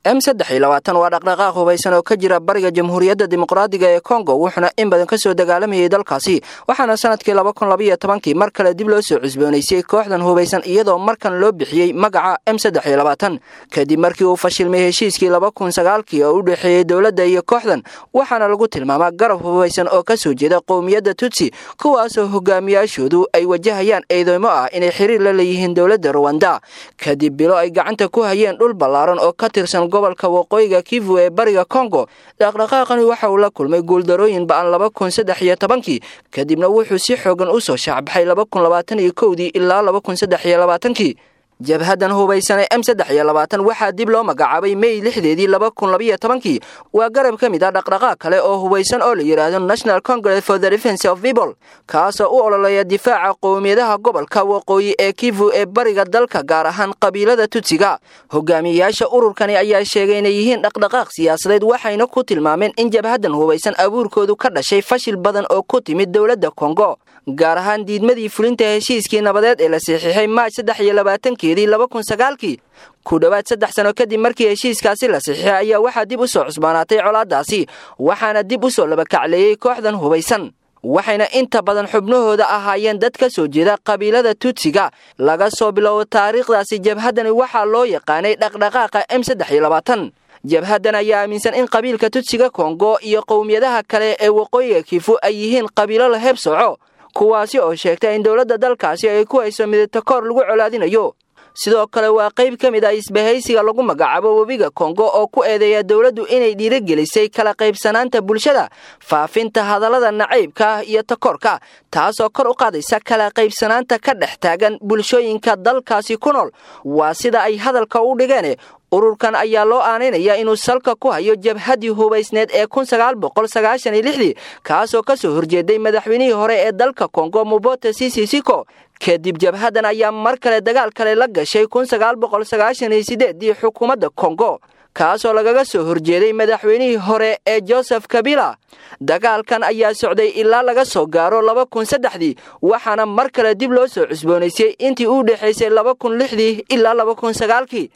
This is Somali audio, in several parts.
M23 waa dhaqdhaqaaq hubaysan oo ka jira bariga Jamhuuriyadda Dimuqraadiga ee Kongo, wuxuuna in badan kasoo dagaalamayay dalkaasi. Waxaana sanadkii 2012kii mar kale dib loo soo cusboonaysay kooxdan hubaysan, iyadoo markan loo bixiyey magaca M23 kadib markii uu fashilmay heshiiskii 2009kii oo u dhexeeyey dowladda iyo kooxdan. Waxaana lagu tilmaamaa garab hubaysan oo kasoo jeeda qowmiyadda Tutsi, kuwaasoo hogaamiyaashoodu ay wajahayaan eedeymo ah inay xiriir la leeyihiin dowladda Ruwanda. Kadib bilo ay gacanta ku hayeen dhul ballaaran oo ka tirsan gobolka waqooyiga Kivu ee bariga Kongo, dhaqdhaqaaqani waxa uu la kulmay guuldarooyin ba'an 2013kii, kadibna wuxuu si xoogan u soo shaacbaxay 2021dii ilaa 2023kii. Jabhadan hubaysan ee M23 waxaa dib loo magacaabay May 6deedii 2012kii. Waa garab ka mid ah dhaqdhaqaaq kale oo hubaysan oo la yidhaahdo National Congress for the Defense of People, kaasoo u ololeeya difaaca qowmiyadaha gobolka waqooyi ee Kivu ee bariga dalka, gaar ahaan qabiilada Tutsiga. Hogaamiyeyaasha ururkani ayaa sheegay inay yihiin dhaqdhaqaaq siyaasadeed, waxayna ku tilmaameen in jabhadan hubaysan abuurkoodu ka dhashay fashil badan oo ku timid dowladda Kongo, gaar ahaan diidmadii fulinta heshiiskii nabadeed ee la saxiixay Maaj 23keedii 2009kii. Ku dhowaad 3 sano kadib markii heshiiskaasi la saxiixay ayaa waxaa dib u soo cusbaanaatay colaadaasi, waxaana dib u soo labakacleeyey kooxdan hubaysan, waxayna inta badan xubnahooda ahaayeen dad ka soo jeeda qabiilada Tutsiga. Laga soo bilowbo taariikhdaasi, jabhaddani waxaa loo yaqaanay dhaqdhaqaaqa M23. Jabhaddan ayaa aaminsan in qabiilka Tutsiga Kongo iyo qowmiyadaha kale ee waqooyiga Kifu ay yihiin qabiilo la heeb soco, kuwaasi oo sheegta in dowladda dalkaasi ay ku hayso midatakoor lagu colaadinayo. Sidoo kale waa qayb ka mid ah isbahaysiga lagu magacaabo webiga Kongo oo ku eedeeya dowladdu inay dhiirigelisay kala qaybsanaanta bulshada, faafinta hadallada nacaybka iyo takoorka, taasoo kor u qaadaysa kala qaybsanaanta ka dhex taagan bulshooyinka dalkaasi ku nool, waa sida ay hadalka u dhigeen. Ururkan ayaa loo aaneynaya inuu salka ku hayo jabhaddii hubaysneed ee 1996dii, kaasoo kasoo horjeeday madaxweynihii hore ee dalka Kongo, Mobutu Sese Seko. Kadib jabhaddan ayaa mar kale dagaal kale la gashay 1998dii xukuumadda Kongo, kaasoo lagaga soo horjeeday madaxweynihii hore ee Joseph Kabila. Dagaalkan ayaa socday ilaa laga soo gaaro 2003dii, waxaana mar kale dib loo soo cusboonaysay intii u dhexaysay 2006dii ilaa 2009kii.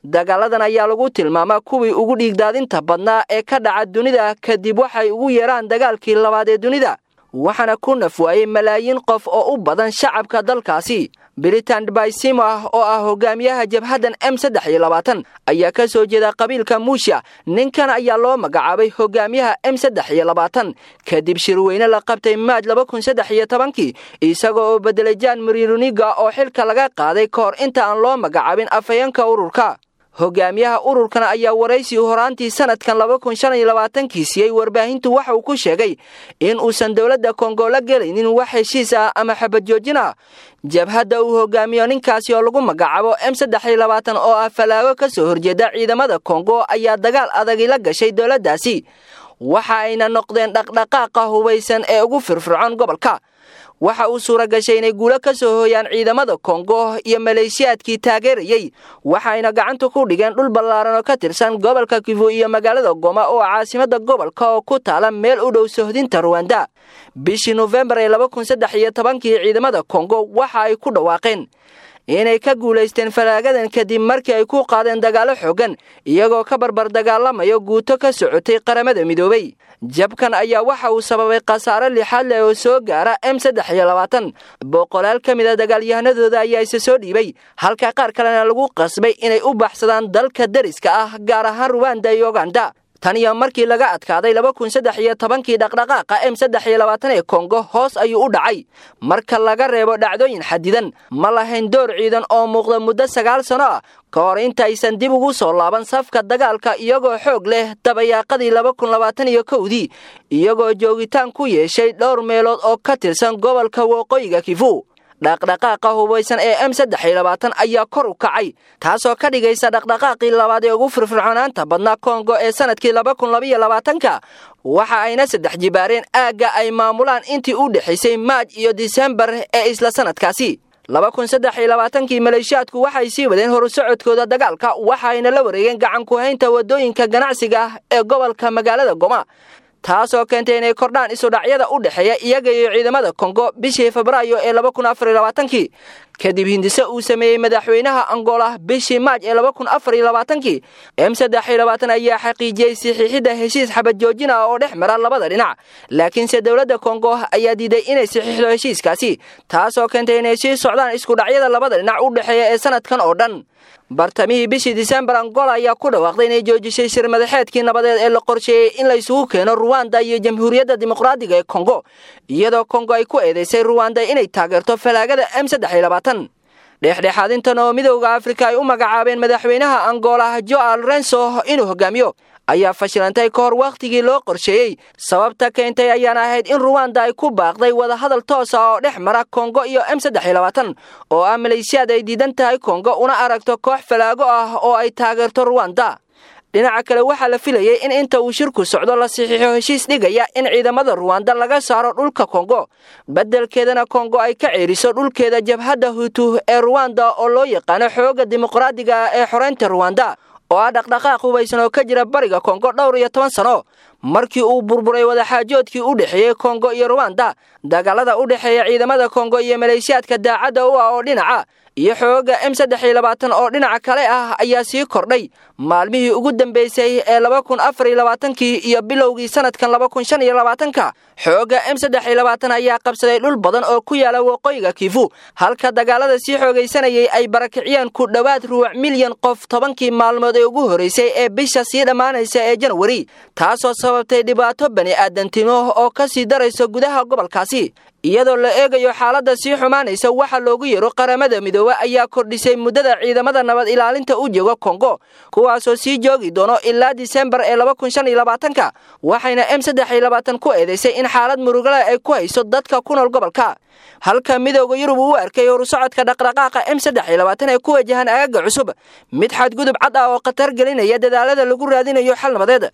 Dagaaladan ayaa lagu tilmaamaa kuwii ugu dhiigdaadinta badnaa ee ka dhaca dunida kadib waxay ugu yeeraan dagaalkii labaad ee dunida, waxaana ku naf waayey malaayiin qof oo u badan shacabka dalkaasi. Bertrand Bisimwa oo ah hogaamiyaha jabhaddan M23 ayaa ka soo jeeda qabiilka Muusha. Ninkan ayaa loo magacaabay hogaamiyaha M23 kadib shirweyne la qabtay Maaj 2013kii, isagoo oo bedelay Jean Marie Runiga oo xilka laga qaaday ka hor inta aan loo magacaabin afhayeenka ururka. Hogaamiyaha ururkan ayaa waraysi horaantii sanadkan 2025kii siiyey warbaahintu waxa uu ku sheegay in uusan dowladda Kongo la gelaynin wax heshiis ah ama xabad joojin ah. Jabhadda uu hogaamiyo ninkaasi oo lagu magacaabo M23 oo ah falaago ka soo horjeeda ciidamada Kongo ayaa dagaal adagi la gashay dowladdaasi, waxa ayna noqdeen dhaqdhaqaaqa hubaysan ee ugu firfircoon gobolka. Waxa uu suura gashay inay guulo ka soo hooyaan ciidamada Kongo iyo maleeshiyaadkii taageerayey, waxayna gacanta ku dhigeen dhul ballaaran oo ka tirsan gobolka Kivu iyo magaalada Goma oo caasimadda gobolka oo ku taala meel u dhow sohdinta Ruwanda. Bishii Nofembar ee 2013kii ciidamada Kongo waxa ay ku dhawaaqeen inay ka guulaysteen falaagadan kadib markii ay ku qaadeen dagaallo xooggan, iyagoo ka barbar dagaalamayo guuto ka socotay Qaramada Midoobay. Jabkan ayaa waxa uu sababay khasaare lixaad leh oo soo gaara M23. Boqolaal ka mid a dagaalyahanadooda ayaa isa soo dhiibay, halka qaar kalena lagu qasbay inay u baxsadaan dalka dariska ah, gaar ahaan Ruwanda iyo Uganda. Tan iyo markii laga adkaaday 2013kii, dhaqdhaqaaqa M23 ee Kongo hoos ayuu u dhacay marka laga reebo dhacdooyin xadidan. Ma lahayn door ciidan oo muuqda muddo 9 sano ah ka hor intaysan dib ugu soo laaban safka dagaalka iyagoo xoog leh dabayaaqadii 2021dii, iyagoo joogitaan ku yeeshay dhowr meelood oo ka tirsan gobolka waqooyiga Kivu. Dhaqdhaqaaqa hubaysan ee M23 ayaa kor u kacay, taasoo ka dhigaysa dhaqdhaqaaqii labaad ee ugu firfircoonaanta badnaa Kongo ee sanadkii 2022ka. Waxa ayna saddex jibaareen aagga ay maamulaan intii u dhexaysay Maaj iyo Disembar ee isla sanadkaasi 2023kii. Maleeshiyaadku waxay sii wadeen horusocodkooda dagaalka, waxayna la wareegeen gacan ku-haynta waddooyinka ganacsiga ah ee gobolka magaalada Goma, taasoo keentay inay kordhaan isudhacyada u dhexeeya iyaga iyo ciidamada Kongo bishii Febraayo ee 2024kii. Kadib hindise uu sameeyey madaxweynaha Angola bishii Maaj ee 2024-kii, M23 ayaa xaqiijiyey saxiixidda heshiis xabad joojin ah oo dhex mara labada dhinac, laakiinse dowladda Kongo ayaa diiday inay saxiixdo heshiiskaasi, taasoo keentay inay sii socdaan isku dhacyada labada dhinac u dhexeeya ee sanadkan oo dhan. Bartamihii bishii Disembar, Angola ayaa ku dhawaaqday inay joojisay shir madaxeedkii nabadeed ee la qorsheeyey in la isugu keeno Ruwanda iyo Jamhuuriyadda Dimuqraadiga ee Kongo, iyadoo Kongo ay ku eedeysay Ruwanda inay taageerto falaagada M23. Dhexdhexaadintan oo Midowda Afrika ay u magacaabeen madaxweynaha Angola Joao Lorenzo inuu hogaamiyo ayaa fashilantay ka hor wakhtigii loo qorsheeyey. Sababta keentay ayaana ahayd in Ruwanda ay ku baaqday wadahadal toos ah oo dhex mara Kongo iyo M23, oo ah maleeshiyaad ay diidan tahay Kongo una aragto koox falaago ah oo ay taageerto Ruwanda. Dhinaca kale, waxaa la filayey in inta uu shirku socdo la saxiixo heshiis dhigaya in ciidamada Ruwanda laga saaro dhulka Kongo, beddelkeedana Kongo ay ka ceeriso dhulkeeda jabhadda Hutu ee Ruwanda oo loo yaqaano Xoogga Dimuqraadiga ee Xoreynta Ruwanda, oo ah dhaqdhaqaaq hubaysan oo ka jira bariga Kongo dhowr iyo toban sano. Markii uu burburay wadaxaajoodkii u dhexeeyey Kongo iyo Ruwanda, dagaalada u dhexeeya ciidamada Kongo iyo maleeshiyaadka daacadda u ah oo dhinaca iyo xoogga M23 oo dhinaca kale ah ayaa sii kordhay maalmihii ugu dambeysay ee 2024-kii iyo bilowgii sanadkan 2025-ka. Xoogga M23 ayaa qabsaday dhul badan oo ku yaala waqooyiga Kivu, halka dagaalada sii xoogaysanayay ay barakiciyeen ku dhowaad rubuc milyan qof 10-kii maalmood ee ugu horreysay ee bisha sii dhammaanaysa ee Janwari, taasoo sababtay dhibaato bani aadantimo oo ka sii daraysa gudaha gobolkaasi. Iyadoo la eegayo xaaladda sii xumaanaysa, waxa loogu yeero Qaramada Midoobe ayaa kordhisay muddada ciidamada nabad ilaalinta u jooga Kongo, kuwaasoo sii joogi doono ilaa Disembar ee 2025-ka, waxayna M23 ku eedeysay in xaalad murugale ay ku hayso dadka ku nool gobolka, halka Midowda Yurub uu u arkay horusocodka dhaqdhaqaaqa M23 ee ku wajahan aagaga cusub mid xadgudub cad ah oo khatar gelinaya dadaalada lagu raadinayo xal nabadeed.